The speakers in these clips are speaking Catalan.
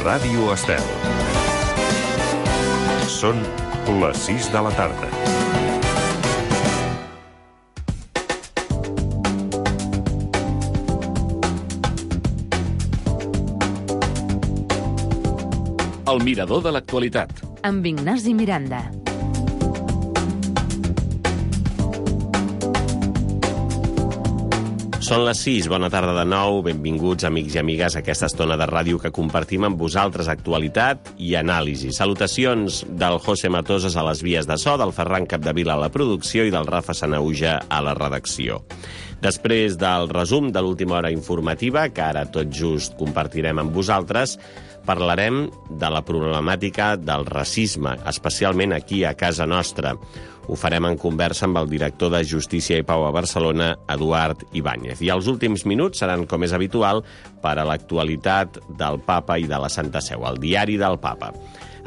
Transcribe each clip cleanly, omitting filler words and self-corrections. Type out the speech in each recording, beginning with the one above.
Ràdio Estel. Són les 6 de la tarda. El mirador de l'actualitat. Amb Ignasi Miranda. Són les 6, bona tarda de nou, benvinguts amics i amigues a aquesta estona de ràdio que compartim amb vosaltres actualitat i anàlisi. Salutacions del José Matosas a les vies de so, del Ferran Capdevila a la producció i del Rafa Sanauja a la redacció. Després del resum de l'última hora informativa, que ara tot just compartirem amb vosaltres, parlarem de la problemàtica del racisme, especialment aquí a casa nostra. Ho farem en conversa amb el director de Justícia i Pau a Barcelona, Eduard Ibáñez. I els últims minuts seran, com és habitual, per a l'actualitat del Papa i de la Santa Seu, el diari del Papa.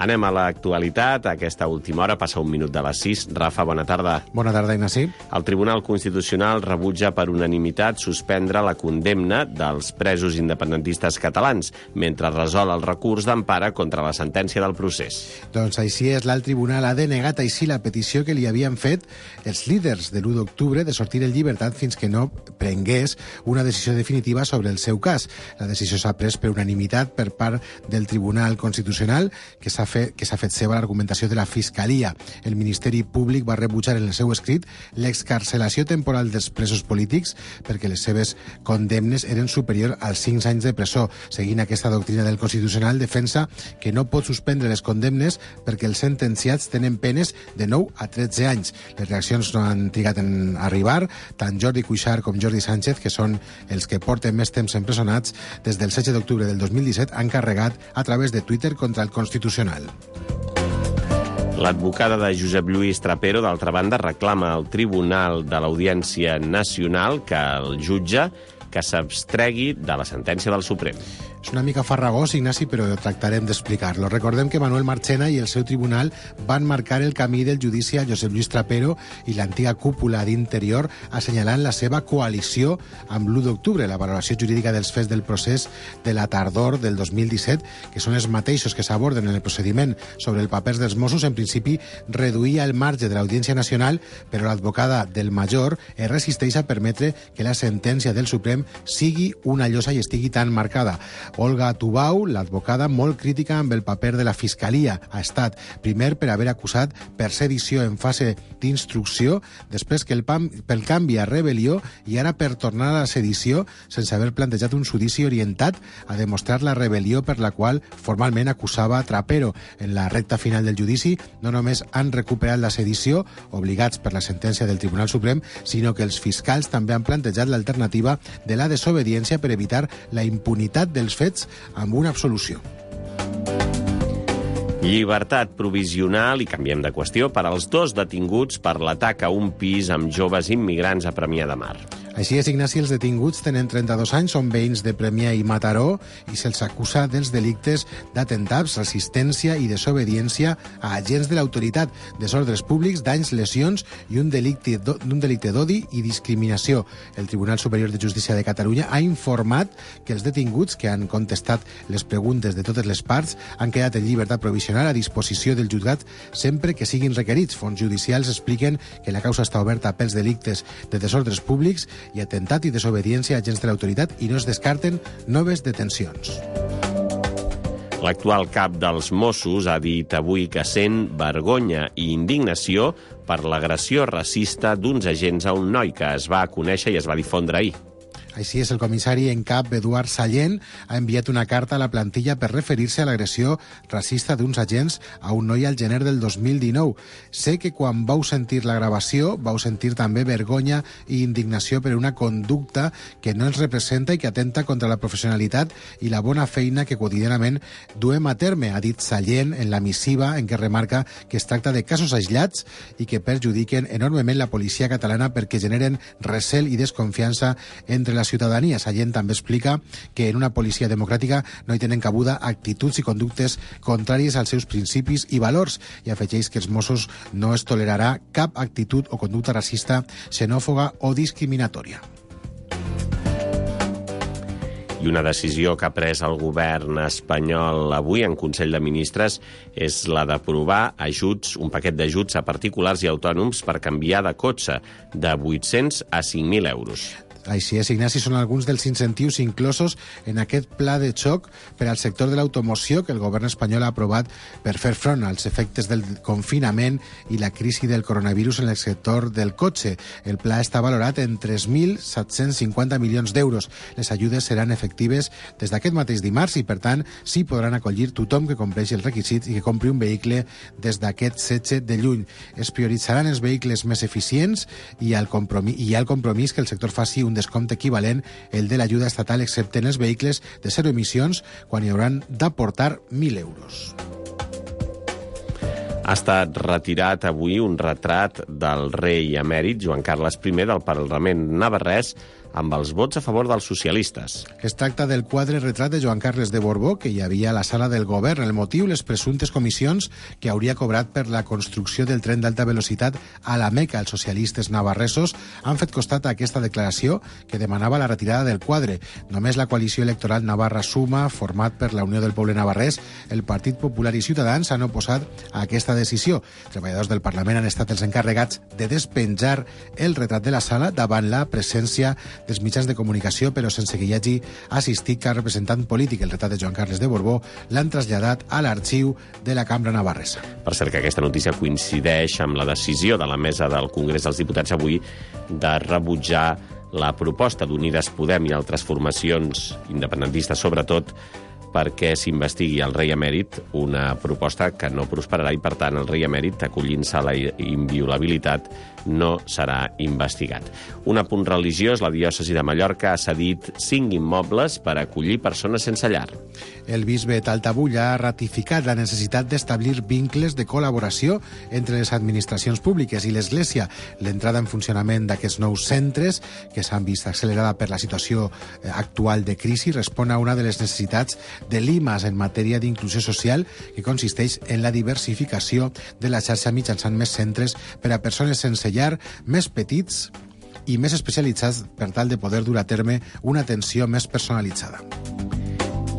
Anem a l'actualitat. A aquesta última hora passa un minut de les 6. Rafa, bona tarda. Bona tarda, Ignasi. El Tribunal Constitucional rebutja per unanimitat suspendre la condemna dels presos independentistes catalans, mentre resol el recurs d'empara contra la sentència del procés. Doncs així és, l'alt tribunal ha denegat així la petició que li havien fet els líders de l'1 d'octubre de sortir en llibertat fins que no prengués una decisió definitiva sobre el seu cas. La decisió s'ha pres per unanimitat per part del Tribunal Constitucional, que s'ha fet seva l'argumentació de la Fiscalia. El Ministeri Públic va rebutjar en el seu escrit l'excarcelació temporal dels presos polítics perquè les seves condemnes eren superior als 5 anys de presó. Seguint aquesta doctrina del Constitucional, defensa que no pot suspendre les condemnes perquè els sentenciats tenen penes de 9 a 13 anys. Les reaccions no han trigat en arribar. Tant Jordi Cuixart com Jordi Sánchez, que són els que porten més temps empresonats, des del 16 d'octubre del 2017 han carregat a través de Twitter contra el Constitucional. L'advocada de Josep Lluís Trapero, d'altra banda, reclama al Tribunal de l'Audiència Nacional que el jutge que s'abstregui de la sentència del Suprem. És una mica farragós, Ignasi, però tractarem d'explicar-lo. Recordem que Manuel Marchena i el seu tribunal van marcar el camí del judici a Josep Lluís Trapero i l'antiga cúpula d'Interior, assenyalant la seva coalició amb l'1 d'octubre, la valoració jurídica dels fets del procés de la tardor del 2017, que són els mateixos que s'aborden en el procediment sobre el paper dels Mossos. En principi, reduïa el marge de l'Audiència Nacional, però l'advocada del Major es resisteix a permetre que la sentència del Suprem sigui una llosa i estigui tan marcada. Olga Tubau, l'advocada, molt crítica amb el paper de la Fiscalia. Ha estat, primer, per haver acusat per sedició en fase d'instrucció, després que pel canvi a rebel·lió i ara per tornar a la sedició sense haver plantejat un judici orientat a demostrar la rebel·lió per la qual formalment acusava Trapero. En la recta final del judici no només han recuperat la sedició, obligats per la sentència del Tribunal Suprem, sinó que els fiscals també han plantejat l'alternativa de la desobediència per evitar la impunitat dels fets amb una absolució. Llibertat provisional, i canviem de qüestió, per als 2 detinguts per l'atac a un pis amb joves immigrants a Premià de Mar. Així és, Ignasi, els detinguts tenen 32 anys, són veïns de Premià i Mataró i se'ls acusa dels delictes d'atemptats, resistència i desobediència a agents de l'autoritat, desordres públics, danys, lesions i un delicte d'odi i discriminació. El Tribunal Superior de Justícia de Catalunya ha informat que els detinguts, que han contestat les preguntes de totes les parts, han quedat en llibertat provisional a disposició del jutjat sempre que siguin requerits. Fonts judicials expliquen que la causa està oberta pels delictes de desordres públics i atemptat i desobediència a agents de l'autoritat i no es descarten noves detencions. L'actual cap dels Mossos ha dit avui que sent vergonya i indignació per l'agressió racista d'uns agents a un noi que es va conèixer i es va difondre ahir. Així és, el comissari en cap, Eduard Sallent, ha enviat una carta a la plantilla per referir-se a l'agressió racista d'uns agents a un noi al gener del 2019. Sé que quan vau sentir la gravació vau sentir també vergonya i indignació per una conducta que no ens representa i que atenta contra la professionalitat i la bona feina que quotidianament duem a terme, ha dit Sallent en la missiva en què remarca que es tracta de casos aïllats i que perjudiquen enormement la policia catalana perquè generen recel i desconfiança entre la ciutadania. Sallent també explica que en una policia democràtica no hi tenen cabuda actituds i conductes contràries als seus principis i valors i afegeix que els Mossos no es tolerarà cap actitud o conducta racista, xenòfoba o discriminatòria. I una decisió que ha pres el govern espanyol avui en Consell de Ministres és la d'aprovar ajuts, un paquet d'ajuts a particulars i autònoms per canviar de cotxe de 800 a 5.000 euros. Així és, Ignasi, són alguns dels incentius inclosos en aquest pla de xoc per al sector de l'automoció que el govern espanyol ha aprovat per fer front als efectes del confinament i la crisi del coronavirus en el sector del cotxe. El pla està valorat en 3.750 milions d'euros. Les ajudes seran efectives des d'aquest mateix dimarts i, per tant, s'hi podran acollir tothom que compleixi els requisits i que compri un vehicle des d'aquest 16 de juny. Es prioritzaran els vehicles més eficients i hi ha el compromís que el sector faci un descompte equivalent el de l'ajuda estatal, excepte en els vehicles de zero emissions, quan hi hauran d'aportar 1.000 euros. Ha estat retirat avui un retrat del rei emèrit Joan Carles I del Parlament navarrès amb els vots a favor dels socialistes. Es tracta del quadre retrat de Joan Carles de Borbó que hi havia a la sala del govern. El motiu, les presumptes comissions que hauria cobrat per la construcció del tren d'alta velocitat a la Meca. Els socialistes navarresos han fet costat a aquesta declaració que demanava la retirada del quadre. Només la coalició electoral Navarra Suma, format per la Unió del Poble Navarrès, el Partit Popular i Ciutadans, han oposat a aquesta decisió. Treballadors del Parlament han estat els encarregats de despenjar el retrat de la sala davant la presència dels mitjans de comunicació, però sense que hi hagi assistit cap representant polític. El retrat de Joan Carles de Borbó l'han traslladat a l'arxiu de la Cambra Navarresa. Per cert, que aquesta notícia coincideix amb la decisió de la mesa del Congrés dels Diputats avui de rebutjar la proposta d'Unides Podem i altres formacions independentistes, sobretot, perquè s'investigui el rei emèrit, una proposta que no prosperarà i, per tant, el rei emèrit, acollint-se a la inviolabilitat, no serà investigat. Un apunt religiós, la diòcesi de Mallorca ha cedit 5 immobles per acollir persones sense llar. El bisbe Taltabulla ha ratificat la necessitat d'establir vincles de col·laboració entre les administracions públiques i l'Església. L'entrada en funcionament d'aquests nous centres, que s'han vist accelerada per la situació actual de crisi, respon a una de les necessitats de l'IMAS en matèria d'inclusió social, que consisteix en la diversificació de la xarxa mitjançant més centres per a persones sense llar, més petits i més especialitzats per tal de poder dur a terme una atenció més personalitzada.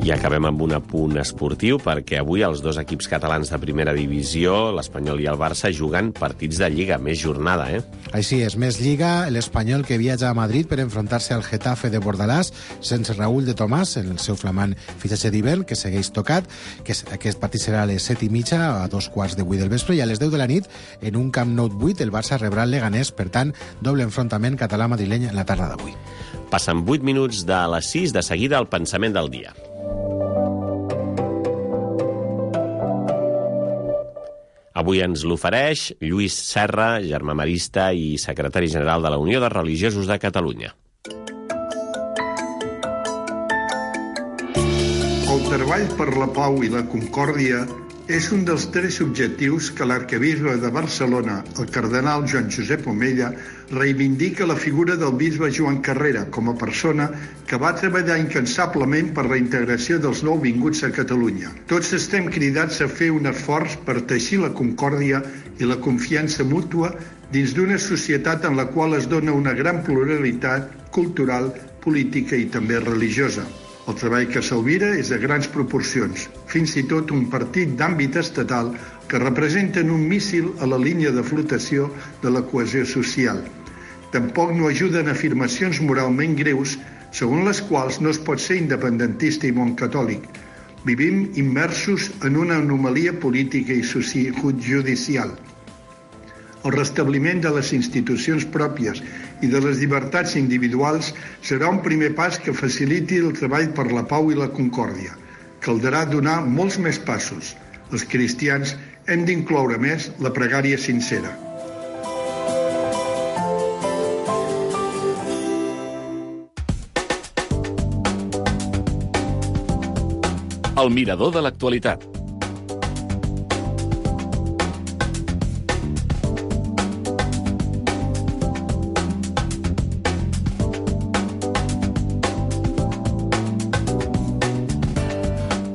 I acabem amb un apunt esportiu, perquè avui els dos equips catalans de primera divisió, l'Espanyol i el Barça, juguen partits de Lliga, més jornada, Així és, més Lliga, l'Espanyol que viatja a Madrid per enfrontar-se al Getafe de Bordalàs, sense Raúl de Tomàs, en el seu flamant fitxatge d'hivern, que segueix tocat, que aquest partit serà a les 7:30, a 2:15 del vespre, i a les 10 de la nit, en un Camp Nou 8, el Barça rebrà el Leganés, per tant, doble enfrontament català-madrileny en la tarda d'avui. Passen 8 minuts de les 6, de seguida el pensament del dia. Avui ens l'ofereix Lluís Serra, germà marista i secretari general de la Unió de Religiosos de Catalunya. El treball per la pau i la concòrdia és un dels 3 objectius que l'arquebisbe de Barcelona, el cardenal Joan Josep Omella, reivindica la figura del bisbe Joan Carrera com a persona que va treballar incansablement per la integració dels nouvinguts a Catalunya. Tots estem cridats a fer un esforç per teixir la concòrdia i la confiança mútua dins d'una societat en la qual es dona una gran pluralitat cultural, política i també religiosa. El treball que s'albira és de grans proporcions, fins i tot un partit d'àmbit estatal que representen un míssil a la línia de flotació de la cohesió social. Tampoc no ajuden afirmacions moralment greus segons les quals no es pot ser independentista i bon catòlic. Vivim immersos en una anomalia política i judicial. El restabliment de les institucions pròpies i de les llibertats individuals serà un primer pas que faciliti el treball per la pau i la concòrdia. Caldrà donar molts més passos. Els cristians hem d'incloure més la pregària sincera. El mirador de l'actualitat.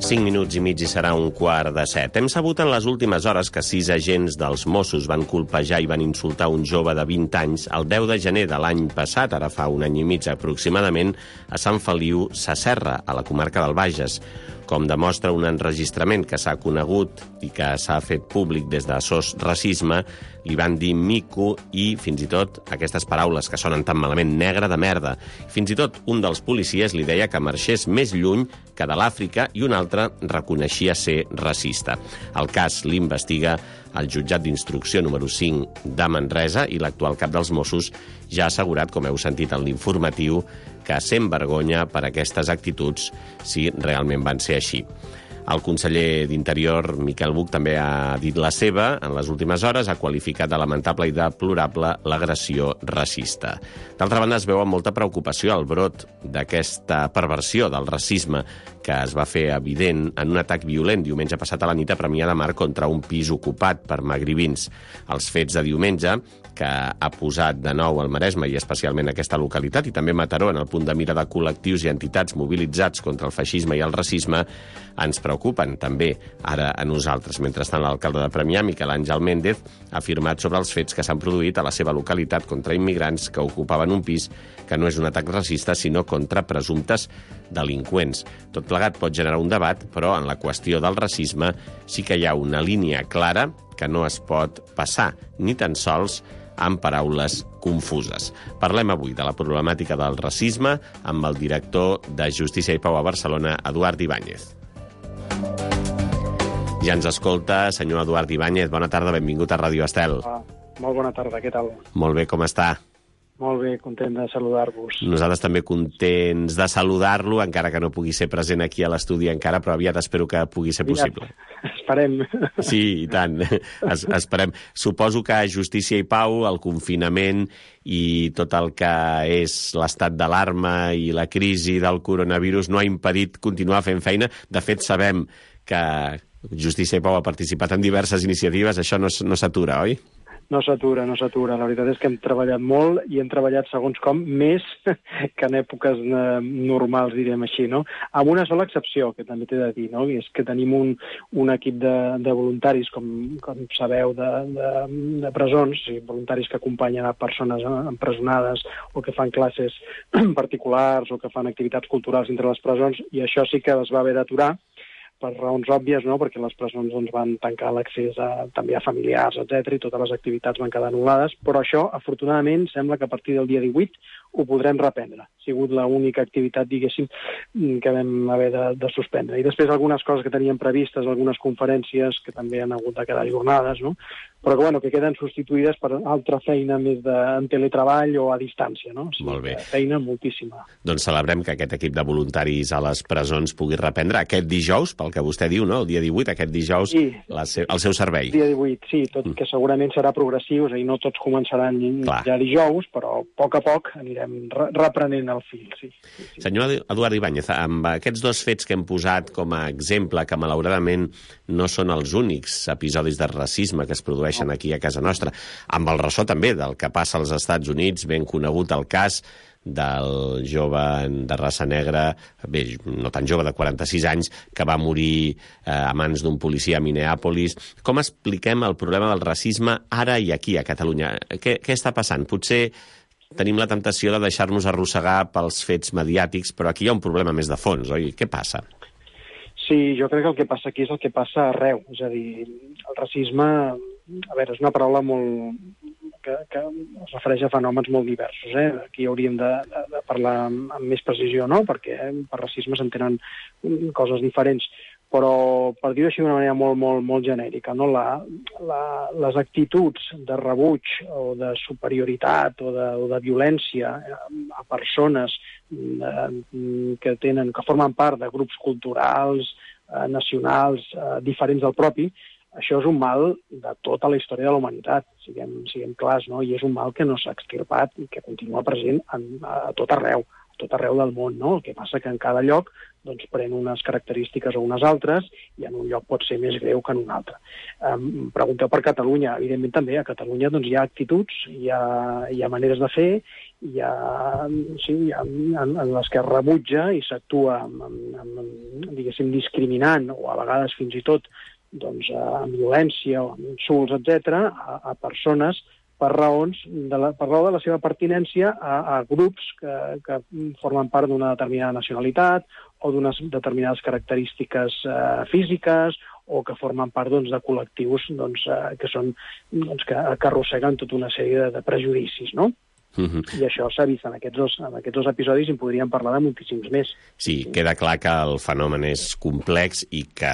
5 minuts i mig i serà 6:15. Hem sabut en les últimes hores que 6 agents dels Mossos van colpejar i van insultar un jove de 20 anys el 10 de gener de l'any passat, ara fa un any i mig aproximadament, a Sant Feliu Sasserra, a la comarca del Bages. Com demostra un enregistrament que s'ha conegut i que s'ha fet públic des de SOS Racisme, li van dir mico i, fins i tot, aquestes paraules que sonen tan malament, negre de merda. Fins i tot un dels policies li deia que marxés més lluny que de l'Àfrica i un altre reconeixia ser racista. El cas l'investiga el jutjat d'instrucció número 5 de Manresa i l'actual cap dels Mossos ja ha assegurat, com heu sentit en l'informatiu, que sent vergonya per aquestes actituds si realment van ser així. El conseller d'Interior, Miquel Buch, també ha dit la seva en les últimes hores, ha qualificat de lamentable i deplorable l'agressió racista. D'altra banda, es veu amb molta preocupació el brot d'aquesta perversió del racisme que es va fer evident en un atac violent diumenge passat a la nit a Premià de Mar contra un pis ocupat per magribins. Els fets de diumenge, que ha posat de nou el Maresme i especialment aquesta localitat, i també Mataró en el punt de mira de col·lectius i entitats mobilitzats contra el feixisme i el racisme, ens preocupen també ara a nosaltres. Mentrestant, l'alcalde de Premià, Miquel Àngel Méndez, ha afirmat sobre els fets que s'han produït a la seva localitat contra immigrants que ocupaven un pis que no és un atac racista, sinó contra presumptes delinqüents. Tot plegat pot generar un debat, però en la qüestió del racisme sí que hi ha una línia clara que no es pot passar, ni tan sols amb paraules confuses. Parlem avui de la problemàtica del racisme amb el director de Justícia i Pau a Barcelona, Eduard Ibáñez. Ja ens escolta, senyor Eduard Ibáñez. Bona tarda, benvingut a Ràdio Estel. Molt bona tarda, què tal? Molt bé, com està? Molt bé, content de saludar-vos. Nosaltres també contents de saludar-lo, encara que no pugui ser present aquí a l'estudi encara, però aviat espero que pugui ser possible. Esperem. Sí, i tant. Esperem. Suposo que Justícia i Pau, el confinament i tot el que és l'estat d'alarma i la crisi del coronavirus no ha impedit continuar fent feina. De fet, sabem que Justícia i Pau ha participat en diverses iniciatives. Això no s'atura, oi? No s'atura. La veritat és que hem treballat molt i hem treballat segons com més que en èpoques normals, direm així, no? Amb una sola excepció, que també t'he de dir, no? I és que tenim un equip de voluntaris, com sabeu, de presons, voluntaris que acompanyen a persones empresonades o que fan classes particulars o que fan activitats culturals entre les presons, i això sí que es va haver d'aturar, per raons òbvies, no? Perquè les presons van tancar l'accés també a familiars, etc, i totes les activitats van quedar anul·lades, però això, afortunadament, sembla que a partir del dia 18 ho podrem reprendre. Ha sigut l'única activitat, diguéssim, que vam haver de suspendre. I després algunes coses que teníem previstes, algunes conferències que també han hagut de quedar ajornades, no? Però que queden substituïdes per altra feina més en teletreball o a distància, no? O sigui, molt bé. Feina moltíssima. Doncs celebrem que aquest equip de voluntaris a les presons pugui reprendre aquest dijous, pel que vostè diu, no? El dia 18, aquest dijous, sí, el seu servei. El dia 18, sí, tot que segurament serà progressiu, és a dir, no tots començaran ja dijous, però a poc anirem reprenent el fil, sí. Senyor Eduard Ibáñez, amb aquests dos fets que hem posat com a exemple, que malauradament no són els únics episodis de racisme que es produeixen aquí a casa nostra, amb el ressò també del que passa als Estats Units, ben conegut el cas del jove de raça negra, bé, no tan jove, de 46 anys, que va morir a mans d'un policia a Minneapolis. Com expliquem el problema del racisme ara i aquí, a Catalunya? Què està passant? Potser tenim la temptació de deixar-nos arrossegar pels fets mediàtics, però aquí hi ha un problema més de fons, oi? Què passa? Sí, jo crec que el que passa aquí és el que passa arreu. És a dir, el racisme, a veure, és una paraula que es refereix a fenòmens molt diversos. Aquí hauríem de parlar amb més precisió, no? Perquè per racisme s'entenen coses diferents. Però, per dir-ho així d'una manera molt genèrica, no? Les actituds de rebuig o de superioritat o de violència a persones que formen part de grups culturals, nacionals, diferents del propi, això és un mal de tota la història de la humanitat, siguem clars, no? I és un mal que no s'ha extirpat i que continua present a tot arreu. tot arreu del món, no? El que passa que en cada lloc doncs, pren unes característiques o unes altres i en un lloc pot ser més greu que en un altre. Pregunteu per Catalunya. Evidentment també a Catalunya doncs, hi ha actituds, hi ha maneres de fer, hi ha en les que es rebutja i s'actua diguéssim, discriminant o a vegades fins i tot doncs, amb violència o amb insults, etc., a persones per raó de la seva pertinència a grups que formen part d'una determinada nacionalitat o d'unes determinades característiques físiques o que formen part doncs, de col·lectius doncs, que arrosseguen tota una sèrie de prejudicis, no? I això s'ha vist en aquests dos episodis i en podríem parlar de moltíssims més. Sí, queda clar que el fenomen és complex i que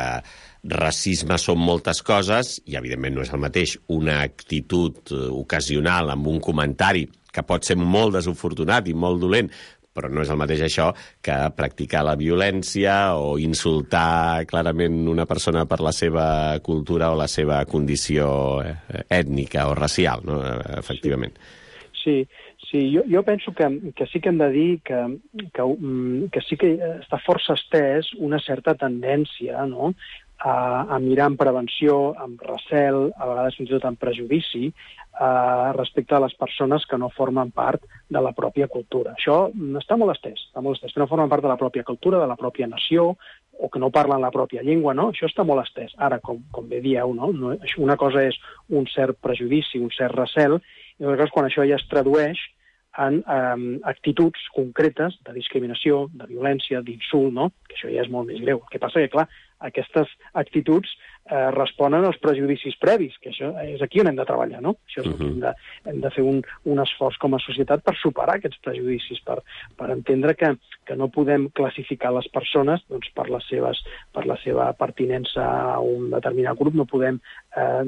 racisme són moltes coses i, evidentment, no és el mateix una actitud ocasional amb un comentari que pot ser molt desafortunat i molt dolent, però no és el mateix això que practicar la violència o insultar clarament una persona per la seva cultura o la seva condició ètnica o racial, no? Efectivament. Sí, jo penso que sí que hem de dir que sí que està força estès una certa tendència, no?, a mirar amb prevenció, amb recel, a vegades fins i tot amb prejudici, respecte a les persones que no formen part de la pròpia cultura. Això està molt estès, que no formen part de la pròpia cultura, de la pròpia nació, o que no parlen la pròpia llengua, no? Això està molt estès. Ara, com bé dieu, no? Una cosa és un cert prejudici, un cert recel, i en quan això ja es tradueix en actituds concretes de discriminació, de violència, d'insult, no? Que això ja és molt més greu. El que passa que, clar, aquestes actituds responen als prejudicis previs, que això és aquí on hem de treballar, no? Això és que hem de fer un esforç com a societat per superar aquests prejudicis, per entendre que no podem classificar les persones doncs, per la seva pertinença a un determinat grup, no podem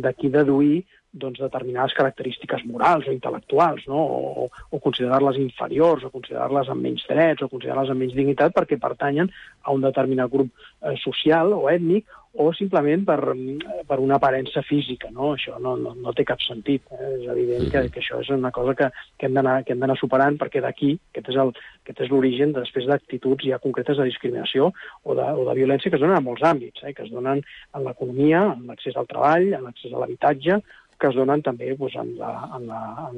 d'aquí deduir doncs, determinades característiques morals o intel·lectuals, no? O considerar-les inferiors, o considerar-les amb menys drets, o considerar-les amb menys dignitat perquè pertanyen a un determinat grup social o ètnic, o simplement per una aparença física, no? Això no té cap sentit. És evident que això és una cosa que hem d'anar superant, perquè d'aquí, aquest és l'origen després d'actituds ja concretes de discriminació o de violència que es donen en molts àmbits, que es donen en l'economia, en l'accés al treball, en l'accés a l'habitatge, que es donen també doncs, en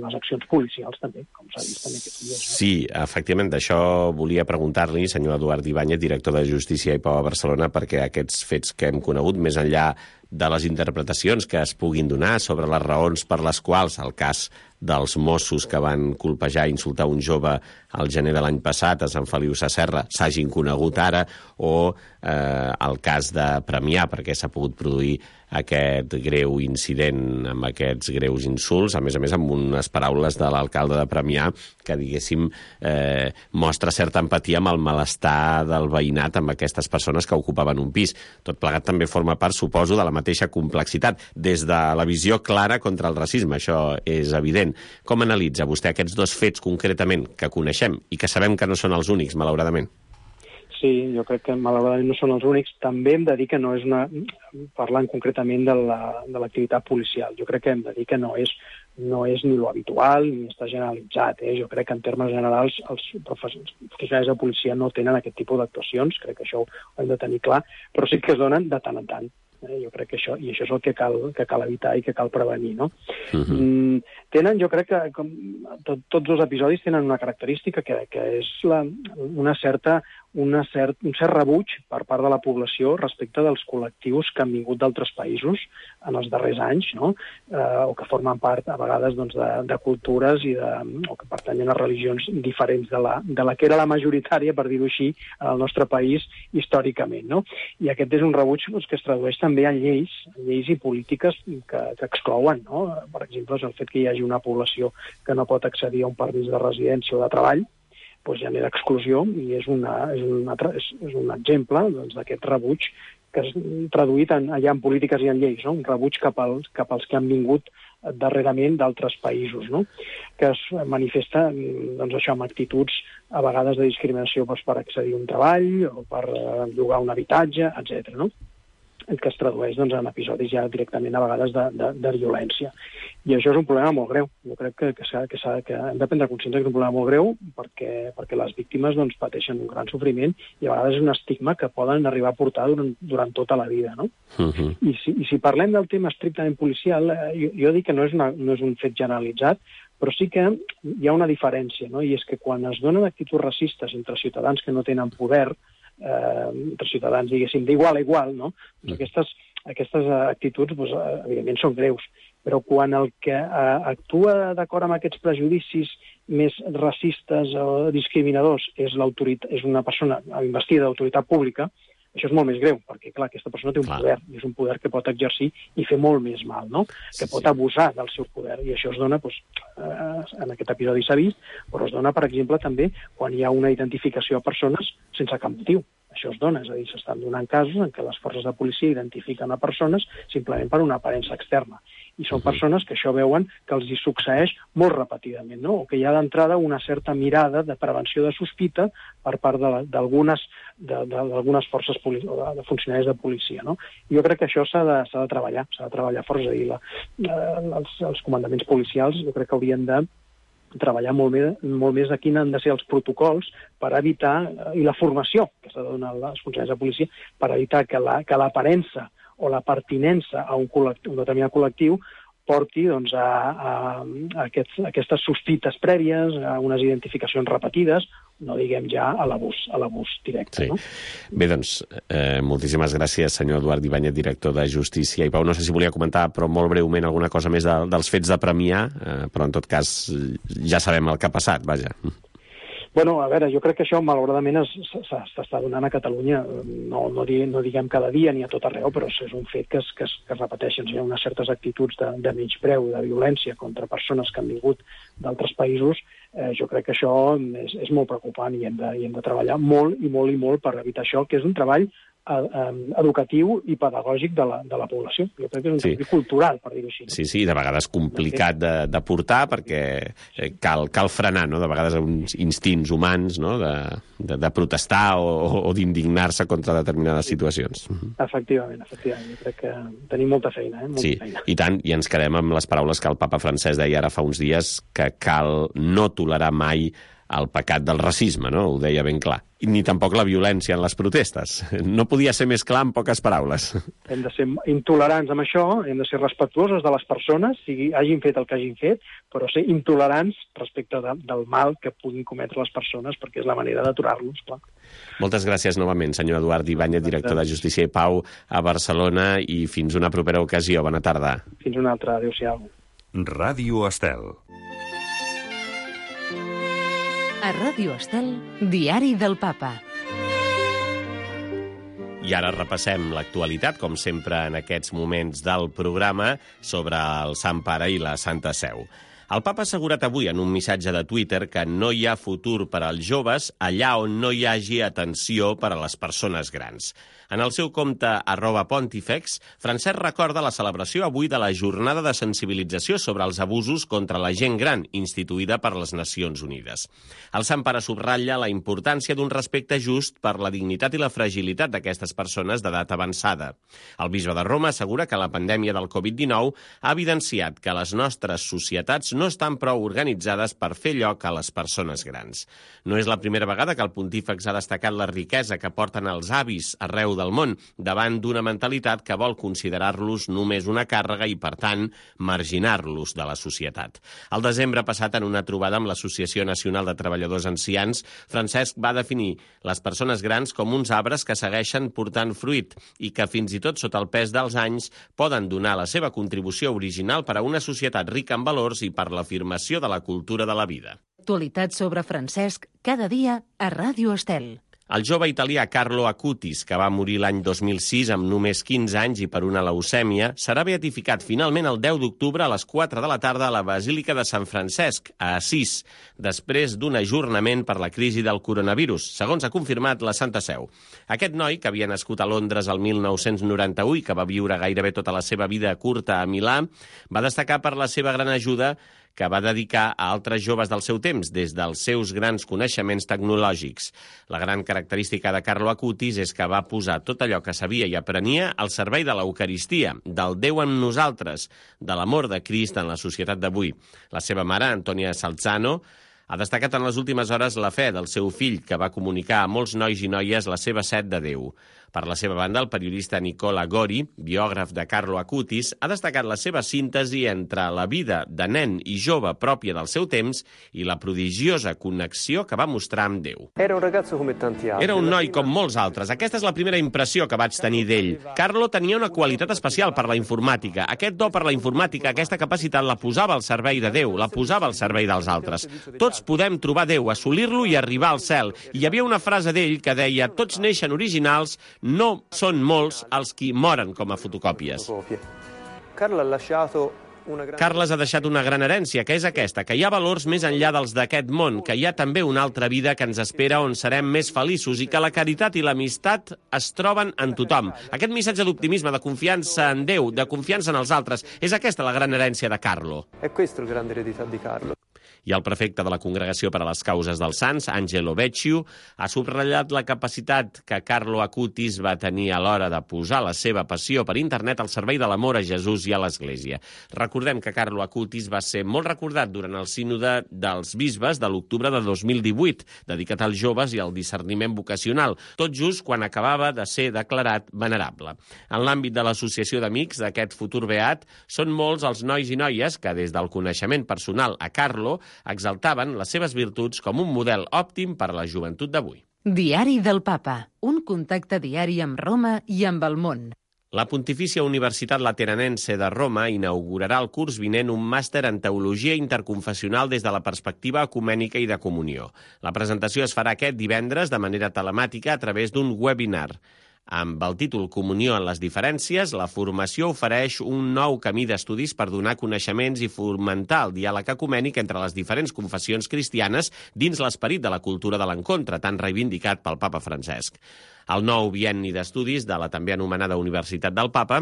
les accions policials, també, com s'ha vist també aquests dies. Sí, efectivament, d'això volia preguntar-li, senyor Eduard Ibáñez, director de Justícia i Pau a Barcelona, perquè aquests fets que hem conegut, més enllà de les interpretacions que es puguin donar sobre les raons per les quals el cas dels Mossos que van colpejar i insultar un jove al gener de l'any passat a Sant Feliu Sasserra s'hagin conegut ara, o el cas de Premià, perquè s'ha pogut produir aquest greu incident amb aquests greus insults, a més amb unes paraules de l'alcalde de Premià que, diguéssim, mostra certa empatia amb el malestar del veïnat amb aquestes persones que ocupaven un pis. Tot plegat també forma part, suposo, de la mateixa complexitat, des de la visió clara contra el racisme, això és evident. Com analitza vostè aquests dos fets concretament que coneixem i que sabem que no són els únics, malauradament? Sí, jo crec que malauradament no són els únics. També hem de dir que no és parlant concretament de l'activitat policial, jo crec que hem de dir que no és ni lo habitual ni està generalitzat. Jo crec que en termes generals els professionals de policia no tenen aquest tipus d'actuacions, crec que això ho hem de tenir clar, però sí que es donen de tant en tant. Jo crec que això és el que cal evitar i que cal prevenir, no? Tenen, jo crec que tots els episodis tenen una característica que és un cert rebuig per part de la població respecte dels col·lectius que han vingut d'altres països en els darrers anys, no? O que formen part, a vegades, de cultures o que pertanyen a religions diferents de la que era la majoritària, per dir-ho així, en el nostre país històricament, no? I aquest és un rebuig que es tradueix també en lleis i polítiques que exclouen, no? Per exemple, el fet que hi hagi una població que no pot accedir a un permís de residència o de treball, doncs genera exclusió i és un exemple d'aquest rebuig que és traduït allà en polítiques i en lleis, no? Un rebuig cap als que han vingut darrerament d'altres països, no? Que es manifesta això amb actituds a vegades de discriminació per accedir a un treball o per llogar un habitatge, etc. No? el que es tradueix doncs, en episodis ja directament a vegades de violència. I això és un problema molt greu. Jo crec que hem de prendre consciència que és un problema molt greu perquè les víctimes doncs, pateixen un gran sofriment i a vegades és un estigma que poden arribar a portar durant tota la vida. No? I si parlem del tema estrictament policial, jo dic que no és un fet generalitzat, però sí que hi ha una diferència, no? I és que quan es donen actituds racistes entre ciutadans que no tenen poder, entre ciutadans, diguéssim, d'igual a igual, no? Doncs aquestes actituds, doncs, evidentment, són greus. Però quan el que actua d'acord amb aquests prejudicis més racistes o discriminadors és una persona investida d'autoritat pública, això és molt més greu, perquè, clar, aquesta persona té un poder, i és un poder que pot exercir i fer molt més mal, no? Que pot abusar del seu poder, i això es dona, doncs, en aquest episodi s'ha vist, però es dona, per exemple, també quan hi ha una identificació a persones sense cap motiu. Això es dona, és a dir, s'estan donant casos en què les forces de policia identifiquen a persones simplement per una aparença externa. I són persones que això veuen que els hi succeeix molt repetidament, no? O que hi ha d'entrada una certa mirada de prevenció de sospita per part d'algunes forces o de funcionaris de policia, no? Jo crec que això s'ha de treballar força. És a dir, els comandaments policials jo crec que haurien de treballar molt més de quins han de ser els protocols per evitar, i la formació que s'ha de donar als funcionaris de policia, per evitar que l'aparença o la pertinença a un determinat col·lectiu porti doncs, a aquestes sospites prèvies, a unes identificacions repetides, no diguem ja a l'abús directe. Sí. No? Bé, doncs, moltíssimes gràcies, senyor Eduard Ibáñez, director de Justícia. I Pau, no sé si volia comentar, però molt breument, alguna cosa més dels fets de Premià, però en tot cas ja sabem el que ha passat, vaja. Bueno, a veure, jo crec que això malauradament s'està donant a Catalunya, no diguem cada dia ni a tot arreu, però és un fet que es repeteixen. Hi ha unes certes actituds de menyspreu, de violència contra persones que han vingut d'altres països. Jo crec que això és molt preocupant i hem de treballar molt i molt per evitar això, que és un treball educatiu i pedagògic de la població. Jo crec que és un treball cultural, per dir-ho així. Sí, de vegades complicat de portar perquè cal frenar, no? De vegades uns instints humans, no? De protestar o d'indignar-se contra determinades situacions. Efectivament. Jo crec que tenim molta feina. Feina. I tant, i ens quedem amb les paraules que el papa francès deia ara fa uns dies, que cal no tolerar mai el pecat del racisme, no? Ho deia ben clar. Ni tampoc la violència en les protestes. No podia ser més clar en poques paraules. Hem de ser intolerants amb això, hem de ser respectuosos de les persones, sigui hagin fet el que hagin fet, però ser intolerants respecte del mal que puguin cometre les persones, perquè és la manera d'aturar-los, clar. Moltes gràcies novament, senyor Eduard Ibáñez, director de Justícia i Pau a Barcelona, i fins una propera ocasió. Bona tarda. Fins una altra. Adéu-siau. Ràdio Estel. A Ràdio Estel, Diari del Papa. I ara repassem l'actualitat, com sempre en aquests moments del programa, sobre el Sant Pare i la Santa Seu. El papa ha assegurat avui en un missatge de Twitter que no hi ha futur per als joves allà on no hi hagi atenció per a les persones grans. En el seu compte @Pontifex, Francesc recorda la celebració avui de la jornada de sensibilització sobre els abusos contra la gent gran, instituïda per les Nacions Unides. El Sant Pare subratlla la importància d'un respecte just per la dignitat i la fragilitat d'aquestes persones d'edat avançada. El bisbe de Roma assegura que la pandèmia del Covid-19 ha evidenciat que les nostres societats no estan prou organitzades per fer lloc a les persones grans. No és la primera vegada que el pontífex ha destacat la riquesa que porten els avis arreu del món, davant d'una mentalitat que vol considerar-los només una càrrega i, per tant, marginar-los de la societat. El desembre passat, en una trobada amb l'Associació Nacional de Treballadors Ancians, Francesc va definir les persones grans com uns arbres que segueixen portant fruit i que, fins i tot sota el pes dels anys, poden donar la seva contribució original per a una societat rica en valors i per l'afirmació de la cultura de la vida. Actualitat sobre Francesc, cada dia a Ràdio Estel. El jove italià Carlo Acutis, que va morir l'any 2006 amb només 15 anys i per una leucèmia, serà beatificat finalment el 10 d'octubre a les 4 de la tarda a la Basílica de Sant Francesc, a Assís, després d'un ajornament per la crisi del coronavirus, segons ha confirmat la Santa Seu. Aquest noi, que havia nascut a Londres el 1991 i que va viure gairebé tota la seva vida curta a Milà, va destacar per la seva gran ajuda que va dedicar a altres joves del seu temps, des dels seus grans coneixements tecnològics. La gran característica de Carlo Acutis és que va posar tot allò que sabia i aprenia al servei de l'Eucaristia, del Déu amb nosaltres, de l'amor de Crist en la societat d'avui. La seva mare, Antonia Salzano, ha destacat en les últimes hores la fe del seu fill, que va comunicar a molts nois i noies la seva set de Déu. Per la seva banda, el periodista Nicola Gori, biògraf de Carlo Acutis, ha destacat la seva síntesi entre la vida de nen i jove pròpia del seu temps i la prodigiosa connexió que va mostrar amb Déu. Era un noi com molts altres. Aquesta és la primera impressió que vaig tenir d'ell. Carlo tenia una qualitat especial per la informàtica. Aquest do per la informàtica, aquesta capacitat, la posava al servei de Déu, la posava al servei dels altres. Tots podem trobar Déu, assolir-lo i arribar al cel. I hi havia una frase d'ell que deia: tots neixen originals, no són molts els qui moren com a fotocòpies. Carles ha deixat una gran herència, que és aquesta, que hi ha valors més enllà dels d'aquest món, que hi ha també una altra vida que ens espera on serem més feliços i que la caritat i l'amistat es troben en tothom. Aquest missatge d'optimisme, de confiança en Déu, de confiança en els altres, és aquesta la gran herència de Carlo. I el prefecte de la Congregació per a les Causes dels Sants, Angelo Vecchio, ha subratllat la capacitat que Carlo Acutis va tenir a l'hora de posar la seva passió per internet al servei de l'amor a Jesús i a l'Església. Recordem que Carlo Acutis va ser molt recordat durant el sínode dels bisbes de l'octubre de 2018, dedicat als joves i al discerniment vocacional, tot just quan acabava de ser declarat venerable. En l'àmbit de l'associació d'amics d'aquest futur beat, són molts els nois i noies que, des del coneixement personal a Carlo, exaltaven les seves virtuts com un model òptim per a la joventut d'avui. Diari del Papa, un contacte diari amb Roma i amb el món. La Pontifícia Universitat Lateranense de Roma inaugurarà el curs vinent un màster en Teologia Interconfessional des de la perspectiva ecumènica i de comunió. La presentació es farà aquest divendres de manera telemàtica a través d'un webinar. Amb el títol Comunió en les diferències, la formació ofereix un nou camí d'estudis per donar coneixements i fomentar el diàleg ecumènic entre les diferents confessions cristianes dins l'esperit de la cultura de l'encontre, tan reivindicat pel papa Francesc. El nou bienni d'estudis de la també anomenada Universitat del Papa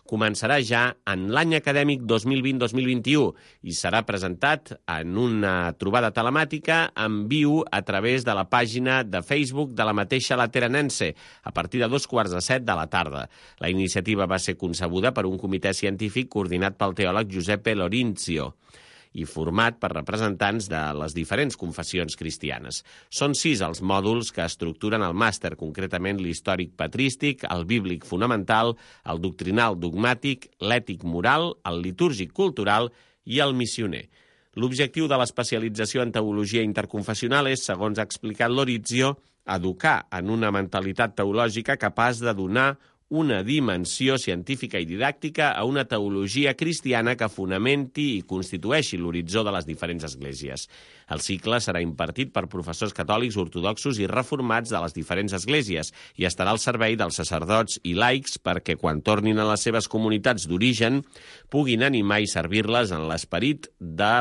començarà ja en l'any acadèmic 2020-2021 i serà presentat en una trobada telemàtica en viu a través de la pàgina de Facebook de la mateixa Lateranense a partir de 6:45 de la tarda. La iniciativa va ser concebuda per un comitè científic coordinat pel teòleg Giuseppe Lorinzio i format per representants de les diferents confessions cristianes. Són 6 els mòduls que estructuren el màster, concretament l'històric patrístic, el bíblic fonamental, el doctrinal dogmàtic, l'ètic moral, el litúrgic cultural i el missioner. L'objectiu de l'especialització en teologia interconfessional és, segons ha explicat Lorizio, educar en una mentalitat teològica capaç de donar una dimensió científica i didàctica a una teologia cristiana que fonamenti i constitueixi l'horitzó de les diferents esglésies. El cicle serà impartit per professors catòlics, ortodoxos i reformats de les diferents esglésies i estarà al servei dels sacerdots i laics perquè, quan tornin a les seves comunitats d'origen, puguin animar i servir-les en l'esperit de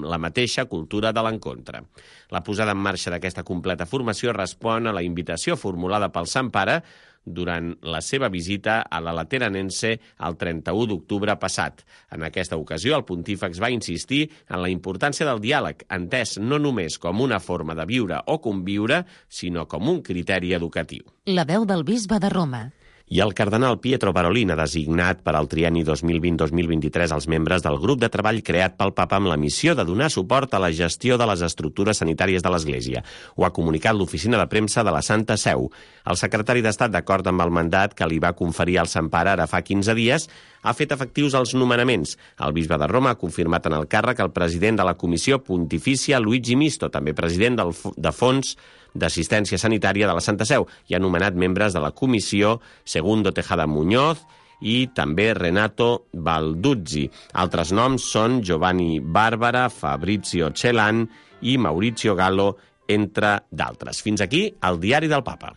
la mateixa cultura de l'encontre. La posada en marxa d'aquesta completa formació respon a la invitació formulada pel Sant Pare durant la seva visita a la Lateranense el 31 d'octubre passat. En aquesta ocasió, el pontífex va insistir en la importància del diàleg, entès no només com una forma de viure o conviure, sinó com un criteri educatiu. La veu del bisbe de Roma. I el cardenal Pietro Parolin ha designat per al trienni 2020-2023 els membres del grup de treball creat pel papa amb la missió de donar suport a la gestió de les estructures sanitàries de l'Església. Ho ha comunicat l'oficina de premsa de la Santa Seu. El secretari d'Estat, d'acord amb el mandat que li va conferir el Sant Pare ara fa 15 dies, ha fet efectius els nomenaments. El bisbe de Roma ha confirmat en el càrrec el president de la Comissió Pontifícia, Luigi Misto, també president de Fons d'Assistència Sanitària de la Santa Seu, i ha nomenat membres de la comissió Segundo Tejada Muñoz i també Renato Balduzzi. Altres noms són Giovanni Barbara, Fabrizio Celan i Maurizio Gallo, entre d'altres. Fins aquí el Diari del Papa.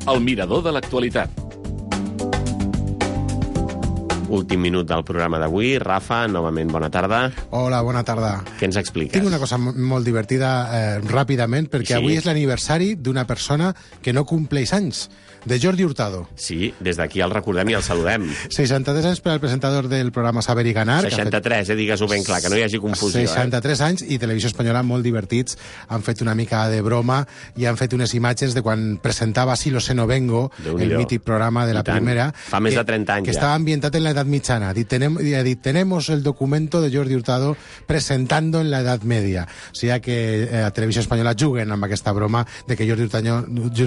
El mirador de l'actualitat. Últim minut del programa d'avui. Rafa, novament bona tarda. Hola, bona tarda. Què ens expliques? Tinc una cosa molt divertida ràpidament, perquè avui és l'aniversari d'una persona que no compleix anys, de Jordi Hurtado. Sí, des d'aquí el recordem i el saludem. 63 anys per al presentador del programa Saber i Ganar. 63, digues-ho ben clar, que no hi hagi confusió. 63 anys i Televisió Espanyola molt divertits. Han fet una mica de broma i han fet unes imatges de quan presentava Si lo sé no vengo, el mític programa de la primera. Fa més de 30 anys que estava ambientat en la Edad Mitjana. Tenemos el documento de Jordi Hurtado presentando en la Edad Media. O sigui que a Televisió Espanyola juguen amb aquesta broma de que Jordi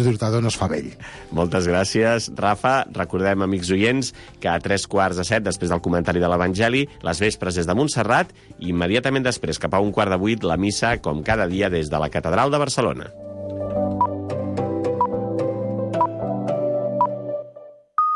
Hurtado no es fa vell. Moltes gràcies, Rafa. Recordem, amics oients, que a 3:45, després del comentari de l'Evangeli, les vespres des de Montserrat i immediatament després, cap a 7:15, la missa, com cada dia, des de la Catedral de Barcelona.